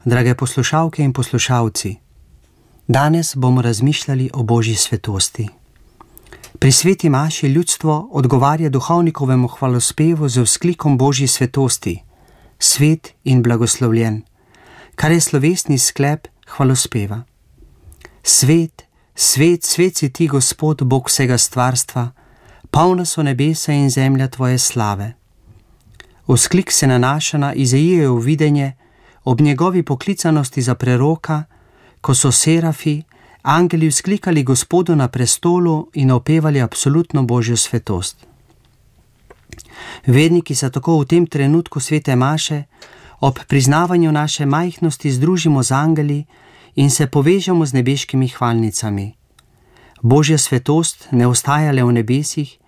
Drage poslušalke in poslušalci, danes bomo razmišljali o Božji svetosti. Pri sveti maši ljudstvo odgovarja duhovnikovemu hvalospevu z vzklikom Božji svetosti, svet in blagoslovljen, kar je slovesni sklep hvalospeva. Svet, svet, svet si ti, Gospod, Bog vsega stvarstva, polna so nebesa in zemlja tvoje slave. Vzklik se nanaša na Izaijevo videnje ob njegovi poklicanosti za preroka, ko so serafi, angeli vzklikali Gospodu na prestolu in opevali absolutno Božjo svetost. Verniki se tako v tem trenutku svete maše ob priznavanju naše majhnosti združimo z angeli in se povežemo z nebeškimi hvalnicami. Božja svetost ne ostaja le v nebesih,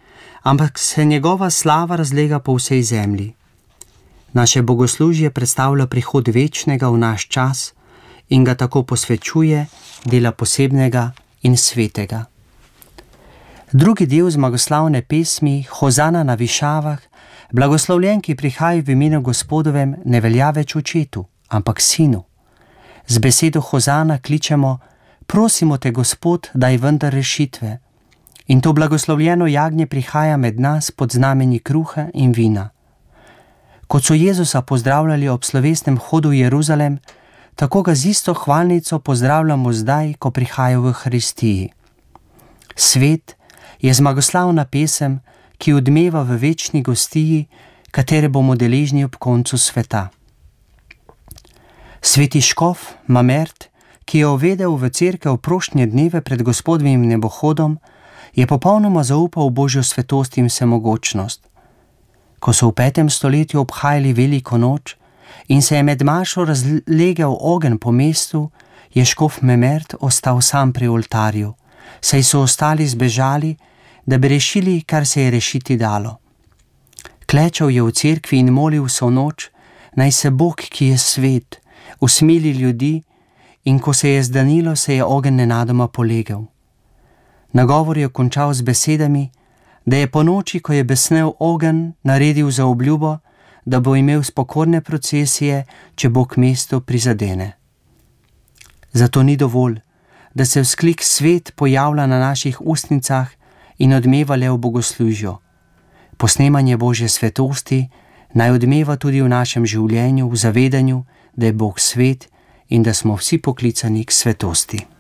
ampak se njegova slava razlega po vsej zemlji. Naše bogoslužje predstavlja prihod večnega v naš čas in ga tako posvečuje, dela posebnega in svetega. Drugi del zmagoslavne pesmi Hozana na višavah, blagoslovljen, ki prihaja v imenu Gospodovem, ne velja več očetu, ampak sinu. Z besedo Hozana kličemo: prosimo te, Gospod, daj vendar rešitve. In to blagoslovljeno jagnje prihaja med nas pod znamenji kruha in vina. Kot so Jezusa pozdravljali ob slovesnem hodu v Jeruzalem, tako ga z isto hvalnico pozdravljamo zdaj, ko prihaja v Hristiji. Svet je zmagoslavna pesem, ki odmeva v večni gostiji, katere bomo deležni ob koncu sveta. Sveti škof Mamert, ki je uvedel v cerkev prošnje dneve pred Gospodovim nebohodom, je popolnoma zaupal v Božjo svetost in vsemogočnost. Ko so v 5. stoletju obhajali veliko noč in se je med mašo razlegel ogenj po mestu, je škof Mamert ostal sam pri oltarju, saj so ostali zbežali, da bi rešili, kar se je rešiti dalo. Klečal je v cerkvi in molil vso noč, naj se Bog, ki je svet, usmili ljudi, in ko se je zdanilo, se je ogenj nenadoma polegel. Nagovor je končal z besedami, da je po noči, ko je besnel ogenj, naredil za obljubo, da bo imel spokorne procesije, če Bog mesto prizadene. Zato ni dovolj, da se vzklik svet pojavlja na naših ustnicah in odmeva le v bogoslužju. Posnemanje Božje svetosti naj odmeva tudi v našem življenju, v zavedanju, da je Bog svet in da smo vsi poklicani k svetosti.